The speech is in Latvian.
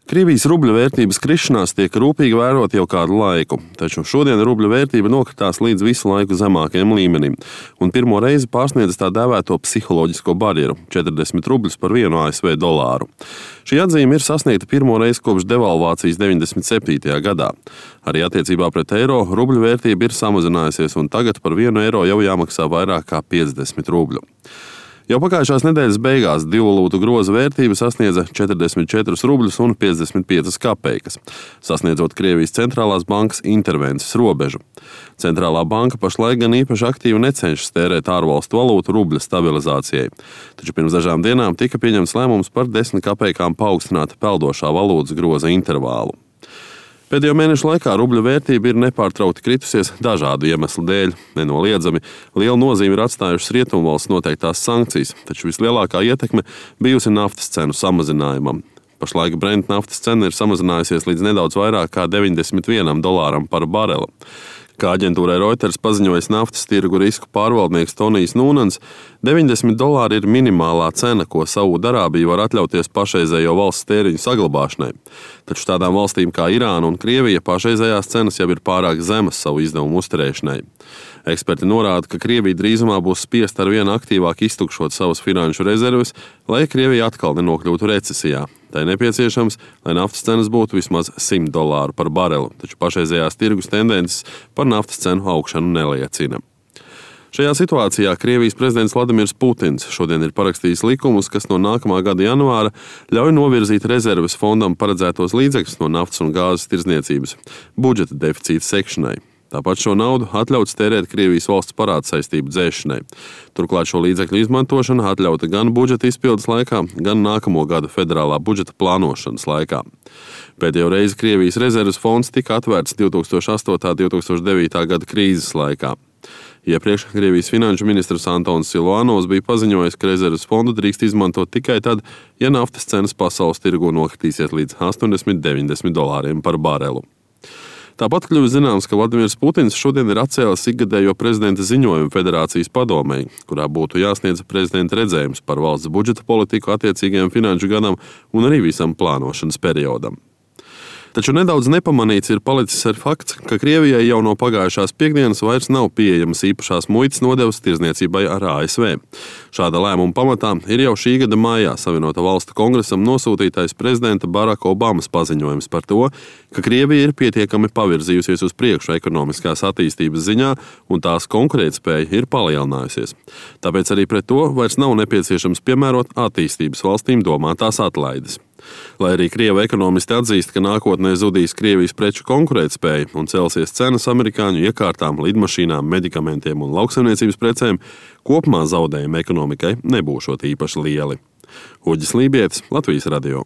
Krievijas rubļa vērtības krišanās tiek rūpīgi vērot jau kādu laiku, taču šodien rubļa vērtība nokritās līdz visu laiku zemākajam līmenim un pirmo reizi pārsniedz tā dēvēto psiholoģisko barjeru – 40 rubļus par vienu ASV dolāru. Šī atzīme ir sasniegta pirmo reizi kopš devalvācijas 97. gadā. Arī attiecībā pret eiro rubļa vērtība ir samazinājusies un tagad par 1 eiro jau jāmaksā vairāk kā 50 rubļu. Jau pagājušās nedēļas beigās divu valūtu groza vērtība sasniedza 44 rubļus un 55 kapeikas, sasniedzot Krievijas centrālās bankas intervences robežu. Centrālā banka pašlaik gan īpaši aktīvi necenšas tērēt ārvalstu valūtu rubļa stabilizācijai, taču pirms dažām dienām tika pieņemts lēmums par 10 kapeikām paaugstināt peldošā valūtas groza intervālu. Pēdējo mēnešu laikā rubļa vērtība ir nepārtraukti kritusies dažādu iemeslu dēļ. Nenoliedzami lielu nozīmi ir atstājušas rietumvalsts noteiktās sankcijas, taču vislielākā ietekme bijusi naftas cenu samazinājumam. Pašlaik Brent naftas cena ir samazinājusies līdz nedaudz vairāk kā $91 par bareli. Kā aģentūrai Reuters paziņojis naftas tirgu risku pārvaldnieks Tonijs Nūnans, $90 ir minimālā cena, ko Saūdarābija var atļauties pašreizējo valsts tēriņu saglabāšanai. Taču tādām valstīm kā Irāna un Krievija pašreizējās cenas jau ir pārāk zemas savu izdevumu uzturēšanai. Eksperti norāda, ka Krievija drīzumā būs spiesta ar vien aktīvāk iztukšot savas finanšu rezerves, lai Krievija atkal nenokļūtu recesijā. Tai nepieciešams, lai naftas cenas būtu vismaz $100 par bareli, taču pašreizējās tirgus tendences par naftas cenu augšanu neliecina. Šajā situācijā Krievijas prezidents Vladimirs Putins šodien ir parakstījis likumus, kas no nākamā gada janvāra ļauj novirzīt rezerves fondam paredzētos līdzekļus no naftas un gāzes tirdzniecības budžeta deficīta sekšanai. Tāpat šo naudu atļauts tērēt Krievijas valsts parāda saistību dzēšanai. Turklāt šo līdzekļu izmantošana atļauta gan budžeta izpildes laikā, gan nākamo gada federālā budžeta plānošanas laikā. Pēdējo reizi Krievijas rezerves fonds tika atvērts 2008. un 2009. gada krīzes laikā. Iepriekš Krievijas finanšu ministrs Antons Siluanovs bija paziņojis, ka rezerves fondu drīkst izmantot tikai tad, ja naftas cenas pasaules tirgu nokritīsies līdz $80–90 par barelu. Tāpat kļuvis zināms, ka Vladimirs Putins šodien ir atcēlis ikgadējo prezidenta ziņojumu Federācijas padomei, kurā būtu jāsniedz prezidenta redzējums par valsts budžeta politiku attiecīgajam finanšu gadam un arī visam plānošanas periodam. Taču nedaudz nepamanīts ir palicis ar fakts, ka Krievijai jau no pagājušās piektdienas vairs nav pieejamas īpašās muitas nodevas tirdzniecībai ar ASV. Šāda lēmuma pamatā ir jau šī gada maijā Savienoto Valstu kongresam nosūtītais prezidenta Baraka Obamas paziņojums par to, ka Krievija ir pietiekami pavirzījusies uz priekšu ekonomiskās attīstības ziņā un tās konkurētspēja ir palielinājusies. Tāpēc arī pret to vairs nav nepieciešams piemērot attīstības valstīm domātās atlaides. Lai arī krievu ekonomisti atzīst, ka nākotnē zudīs Krievijas preču konkurētspēja un celsies cenas amerikāņu iekārtām, lidmašīnām, medikamentiem un lauksaimniecības precēm, kopumā zaudējumi ekonomikai nebūšot īpaši lieli. Uģis Lībietis, Latvijas radio.